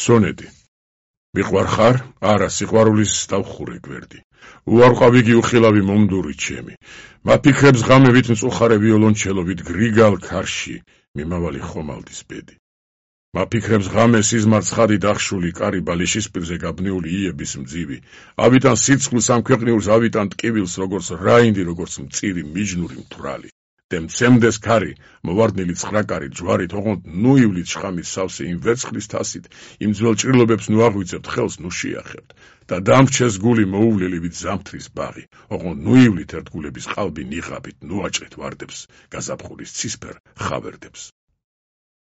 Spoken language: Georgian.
სონეტი. მიყვარ ხარ? არა, სიყვარულის დავხურე გვერდი. უარყვავი უხილავი მომდური ჩემი. მაფიქრებს ღამევით მწუხარე ვიოლონჩელობით გრიგალ ქარში მიმავალი ხომალდის ბედი. მაფიქრებს ღამე სიზმარ ცხადი დახშული კარი ბალიშის პირზე გაბნეული იების მძივი. ავიტან სიცხვილს ამ ქვეყნიურს ავიტან ტკივილს როგორც რაინდი როგორც მწირი მიჯნური მთვრალი. მცემდეს ქარი, მოვარდნილი ცხრაკარი ჯვარით, ოღონდ ნუ ივლით შხამის სავსე იმ ვერცხლის თასით, იმ ძველ ჭრილობებს ნუ აღვიძებთ ხელს, ნუ შეახებთ და დამრჩეს გული მოუვლელივით ზამთრის ბაღი, ოღონდ ნუ ივლით ერთგულების ყალბი ნიღაბით, ნუ აჭრით ვარდებს, გაზაფხულის ცისფერ ხავერდებს.